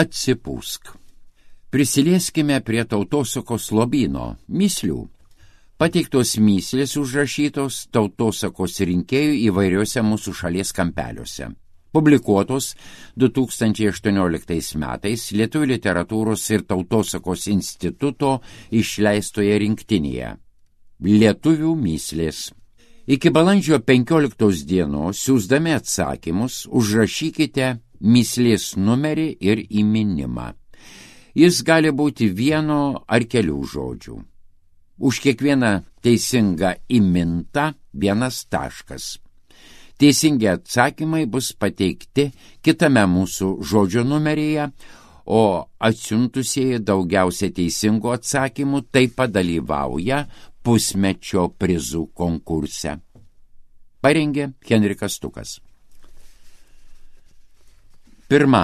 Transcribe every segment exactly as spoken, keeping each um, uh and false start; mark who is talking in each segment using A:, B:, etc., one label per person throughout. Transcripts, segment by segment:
A: Atsipūsk. Prisilieskime prie tautosakos lobyno mįslių. Pateiktos mįslės užrašytos tautosakos rinkėjų įvairiuose mūsų šalies kampeliuose. Publikuotos du tūkstančiai aštuonioliktais metais Lietuvių literatūros ir tautosakos instituto išleistoje rinktinėje. Lietuvių mįslės. Iki balandžio penkioliktos dienos siųsdami atsakymus užrašykite mįslės numerį ir įminimą. Jis gali būti vieno ar kelių žodžių. Už kiekvieną teisingą įmintą vienas taškas. Teisingi atsakymai bus pateikti kitame mūsų žodžio numeryje, o atsiuntusieji daugiausia teisingų atsakymų taip pat dalyvauja pusmečio prizų konkurse. Parengė Henrikas Stukas. Pirma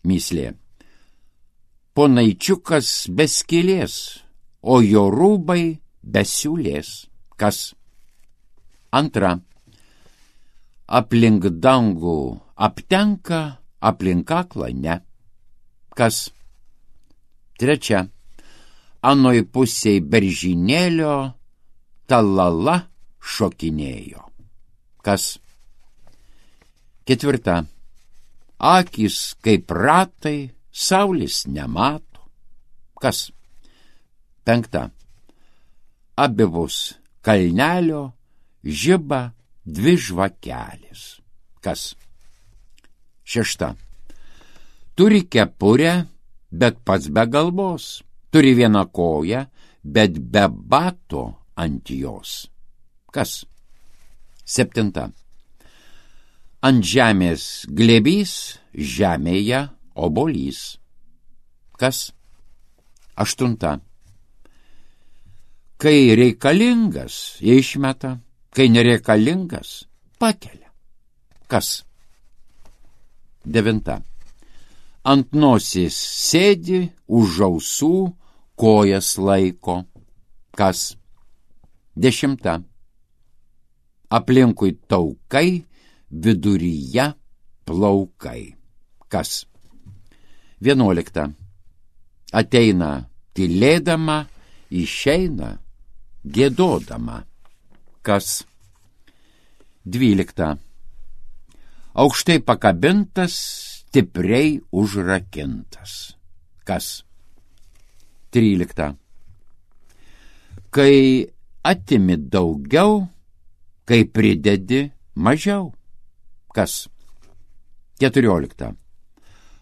A: mįslė. Ponaičiukas be skylės, o jo rūbai be siūlės. Kas? Antra. Aplink dangų aptenka, aplink kaklą ne. Kas? Trečia. Anoj pusėj beržinėlio talala šokinėjo. Kas? Ketvirta. Akys kaip ratai, saulės nemato. Kas? Penkta. Abivus kalnelio žiba dvi žvakelės. Kas? Šešta. Turi kepurę, bet pats be galvos. Turi vieną koją, bet be bato ant jos. Kas? Septinta. Ant žemės glėbys, žemėje obolys. Kas? Aštunta. Kai reikalingas, išmeta, kai nereikalingas, pakelia. Kas? Devinta. Ant nosies sėdi, už ausų kojas laiko. Kas? Dešimta. Aplinkui taukai, viduryje plaukai. Kas? Vienuolikta. Ateina tylėdama, išeina giedodama. Kas? Dvylikta. Aukštai pakabintas, stipriai užrakintas. Kas? Trylikta. Kai atimi daugiau, kai pridedi mažiau. Kas? Keturiolikta.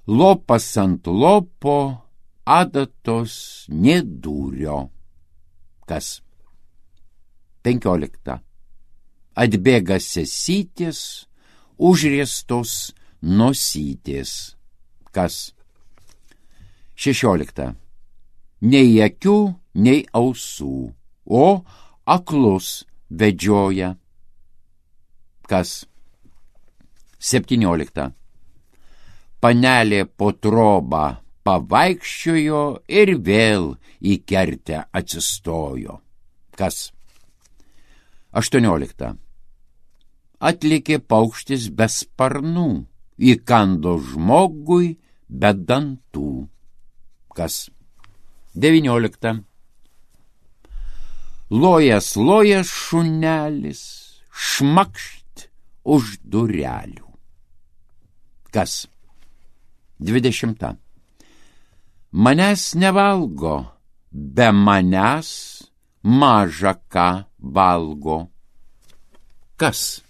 A: Lopas ant lopo, adatos nedūrio. Kas? Penkiolikta. Atbėga sesytės, užriestos nosytės. Kas? Šešiolikta. Nei akių, nei ausų, o aklus vedžioja. Kas? Septyniolikta. Panelė po trobą pavaikščiojo ir vėl į kertę atsistojo. Kas? Aštuoniolikta. Atlikė paukštis be sparnų, įkando žmogui be dantų. Kas? Devyniolikta. Lojas, lojas šunelis, šmakšt už durelių. Kas? Dvidešimta. Manęs nevalgo, be manęs maža ką valgo. Kas?